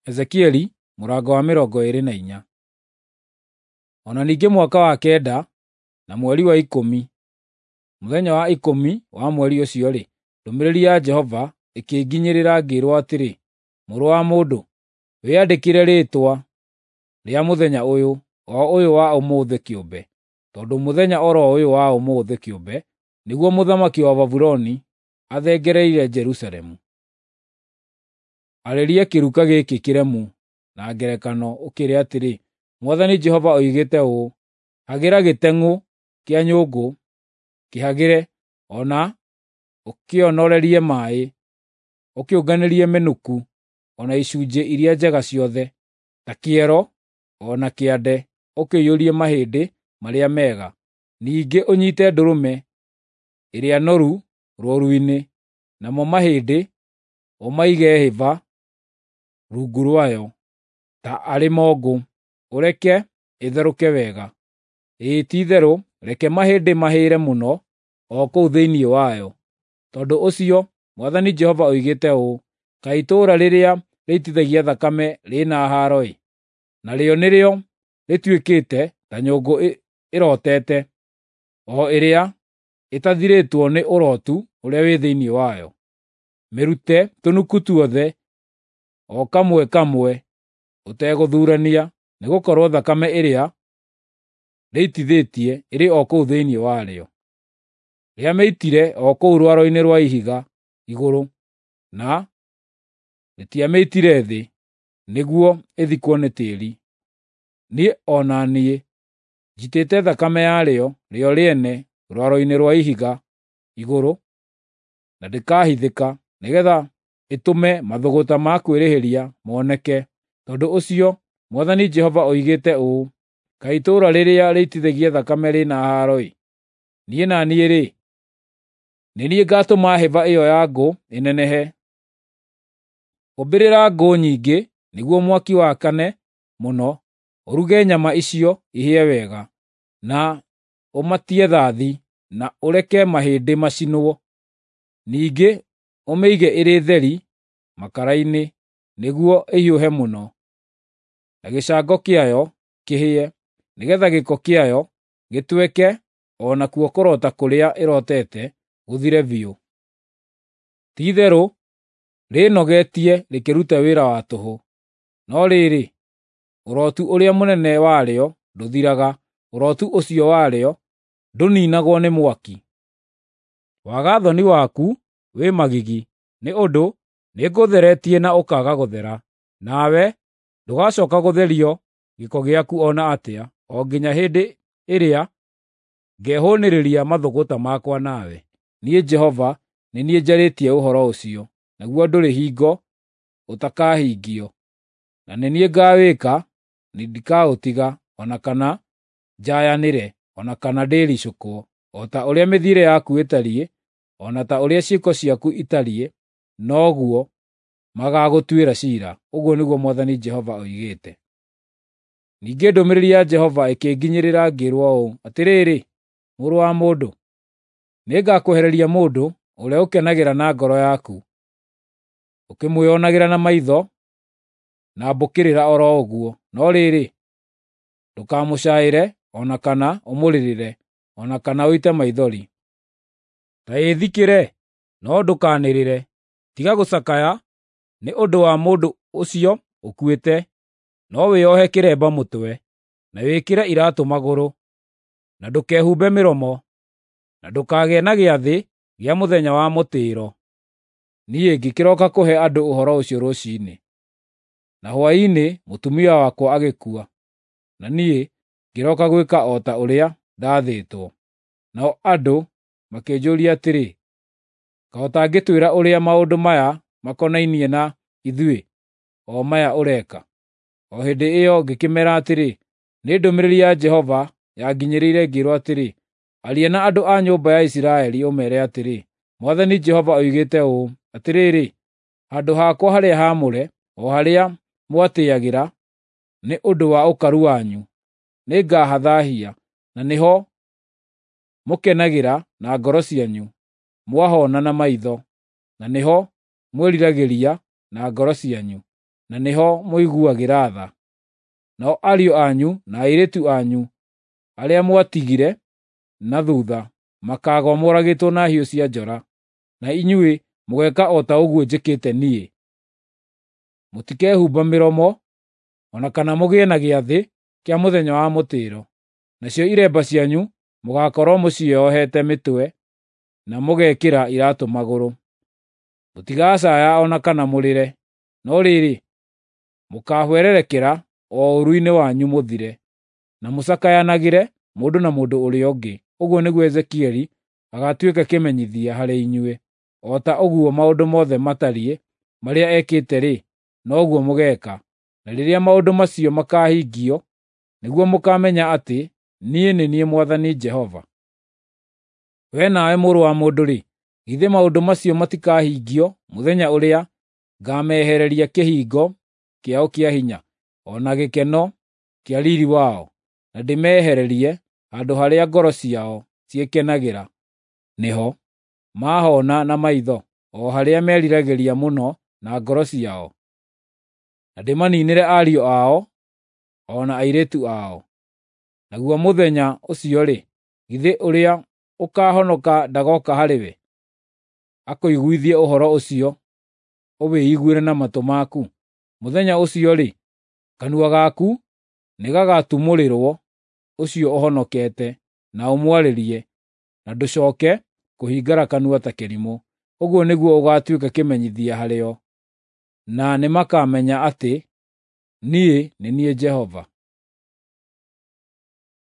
Ezekieli mũrango wa 24. O na ningĩ mwaka wa 9 na mweri wa 10, mũthenya wa 10 wa mweri ũcio-rĩ, ndũmĩrĩri ya Jehova ĩkĩnginyĩrĩra ngĩĩrwo atĩrĩ, “Mũrũ wa mũndũ, wĩyandĩkĩre rĩĩtwa rĩa mũthenya ũyũ, o ũyũ wa ũmũthĩ kĩũmbe, tondũ mũthenya o ro ũyũ wa ũmũthĩ kĩũmbe nĩguo mũthamaki wa Babuloni athengereire Jerusalemu. Arĩria kĩruka gĩkĩ kĩremu na ngerekano ũkĩĩre atĩrĩ, ‘Mwathani Jehova oigĩte ũũ: Hagĩra gĩteng'ũ kĩa nyũngũ, kĩhagĩre, o na ũkĩonorerie maaĩ, ũkĩũnganĩrie mĩnũkũ o na icunjĩ iria njega ciothe, ta kĩero o na kĩande ũkĩiyũrie mahĩndĩ marĩa mega. Ningĩ ũnyiite ndũrũme ĩrĩa noru rũũru-inĩ, namo mahĩndĩ ũmaige hĩba rungu rwayo ta arĩ mongũ, ũreke ĩtherũke wega. Ĩĩ ti-itherũ reke mahĩndĩ mahĩre mũno o kũu thĩinĩ wayo. Tondũ ũcio Mwathani Jehova oigĩte ũũ: Kaĩ itũũra rĩrĩa rĩitithagia thakame rĩ na haaro-ĩ! Narĩo nĩrĩo rĩtuĩkĩte ta nyũngũ ĩrotete, o ĩrĩa ĩtathirĩtwo nĩ ũrotu ũrĩa wĩ thĩinĩ wayo. Mĩrute tũnuku tuothe, o kamwe kamwe, ũtegũthuurania, nĩgũkorwo thakame ĩrĩa rĩitithĩtie ĩrĩ o kũu thĩinĩ warĩo. Rĩamĩitire o kũu rwaro-inĩ rwa ihiga igũrũ, na rĩtiamĩitire thĩ, nĩguo ĩthikwo nĩ tĩĩri. Niĩ o na niĩ njitĩte thakame yarĩo rĩo rĩene rwaro-inĩ rwa ihiga igũrũ, na ndĩkahithĩka, nĩgeetha ĩtũme mathũgũta ma kwĩrĩhĩria moneke. Tondũ ũcio Mwathani Jehova oigĩte ũũ: Kaĩ itũũra rĩrĩa rĩitithagia thakame rĩ na haaro-ĩ! Niĩ na niĩ-rĩ, nĩ niĩ ngaatũma hĩba ĩyo ya ngũ ĩnenehe. Ũmbĩrĩra ngũ nyingĩ nĩguo mwaki wakane mũno, ũruge nyama icio ihĩe wega, na ũmatie thathi, na ũreke mahĩndĩ macinwo. Ningĩ ũmĩige ĩrĩ theri makara-inĩ nĩguo ĩhiũhe mũno, na gĩcango kĩayo kĩhĩe, nĩgeetha gĩko kĩayo gĩtweke o nakuo kũrota kũrĩa ĩrotete gũthire biũ. Ti-itherũ rĩĩnogetie rĩkĩruta wĩra wa tũhũ, no rĩrĩ, ũrotu ũrĩa mũnene warĩo ndũthiraga, ũrotu ũcio warĩo ndũniinagwo nĩ mwaki. Waga-thoni waku wĩ magigi, nĩ ũndũ nĩngũtheretie na ũkaaga gũthera, nawe ndũgacooka gũtherio gĩko gĩaku o na atĩa, o nginya hĩndĩ ĩrĩa ngehũũnĩrĩria mathũgũta makwa nawe. Niĩ Jehova nĩ niĩ njarĩtie ũhoro ũcio, naguo ndũrĩ hingo ũtakahingio. Na nĩ niĩ ngaawĩka, ndikaũtiga, o na kana njayanĩre, o na kana ndĩricũkwo. O ta ũrĩa mĩthiĩre yaku ĩtariĩ, o na ta ũrĩa ciĩko ciaku itariĩ, noguo magaagũtuĩra ciira, ũguo nĩguo Mwathani Jehova oigĩte. Ningĩ ndũmĩrĩri ya Jehova ĩkĩnginyĩrĩra ngĩĩrwo ũũ, “Atĩrĩrĩ, mũrũ wa mũndũ, nĩngakwehereria mũndũ ũrĩa ũkenagĩra na ngoro yaku, ũkĩmwĩonagĩra na maitho na mbũkĩrĩra o ro ũguo, no rĩrĩ, ndũkamũcaĩre o na kana ũmũrĩrĩre, o na kana ũite maithori. Ta ĩĩthikĩre, no ndũkanĩrĩre. Tiga gũcakaya nĩ ũndũ wa mũndũ ũcio ũkuĩte, no wĩohe kĩremba mũtwe, na wĩkĩre iraatũ magũrũ, na ndũkehumbe mĩromo, na ndũkagĩe na gĩathĩ gĩa mũthenya wa mũtĩĩro.” Niĩ ngĩkĩroka kũhe andũ ũhoro ũcio rũciinĩ, na hwaĩ-inĩ mũtumia wakwa agĩkua, na niĩ ngĩroka gwĩka o ta ũrĩa ndaathĩtwo. Nao andũ makĩnjũũria atĩrĩ, “Kaĩ ũtangĩtwĩra ũrĩa maũndũ maya makonainie na ithuĩ, o maya ũreka?” O hĩndĩ ĩyo ngĩkĩmeera atĩrĩ, “Nĩ ndũmĩrĩri ya Jehova yanginyĩrĩire ngĩĩrwo atĩrĩ, Aria na andũ a nyũmba ya Isiraeli ũmeere atĩrĩ, ‘Mwathani Jehova oigĩte ũũ: Atĩrĩrĩ, handũ hakwa harĩa haamũre, o harĩa mwatĩĩagĩra nĩ ũndũ wa ũkaru wanyu, nĩngahathaahia, na nĩho mũkenagĩra na ngoro cianyu mwahona na maitho, na nĩho mwĩriragĩria na ngoro cianyu. na nĩho mũiguagĩra tha. Nao ariũ anyu na airĩtu anyu arĩa mwatigire na thutha makaagũa moragĩtwo na hiũ cia njora, na inyuĩ mũgeeka o ta ũguo njĩkĩte niĩ. Mũtikehumba mĩromo, o na kana mũgĩe na gĩathĩ kĩa mũthenya wa mũtĩĩro. Nacio iremba cianyu mũgaakorwo mũciohete mĩtwe na mũgekĩra iraatũ magũrũ. Mũtigacaaya o na kana mũrĩre, no rĩrĩ, mũkaahwererekera o ũũru-inĩ wanyu mũthire, na mũcakayanagĩre mũndũ na mũndũ ũrĩa ũngĩ. Ũguo nĩguo Ezekieli agaatuĩka kĩmenyithia harĩ inyuĩ. O ta ũguo maũndũ mothe matariĩ marĩa ekĩte-rĩ, noguo mũgeeka. Na rĩrĩa maũndũ macio makaahingio, nĩguo mũkaamenya atĩ niĩ nĩ niĩ Mwathani Jehova. Wee nawe mũrũ wa mũndũ-rĩ, githĩ maũndũ macio matikahingio mũthenya ũrĩa ngaamehereria kĩhingo kĩao kĩa hinya, o na gĩkeno kĩa riiri wao, na ndĩmehererie handũ harĩa ngoro ciao ciĩkenagĩra nĩho mahoona na maitho, o harĩa meriragĩria mũno na ngoro ciao, na ndĩmaninĩre ariũ ao o na airĩtu ao. Naguo mũthenya ũcio-rĩ, githĩ ũrĩa ũkaahonoka ndagooka harĩwe, akũiguithie ũhoro ũcio ũwĩiguĩre na matũ maku? Mũthenya ũcio-rĩ, kanua gaku nĩgagatumũrĩrwo ũcio ũhonokete, na ũmwarĩrie, na ndũcooke kũhingara kanua ta kĩrimũ. Ũguo nĩguo ũgaatuĩka kĩmenyithia harĩo, na nĩmakamenya atĩ niĩ nĩ niĩ Jehova.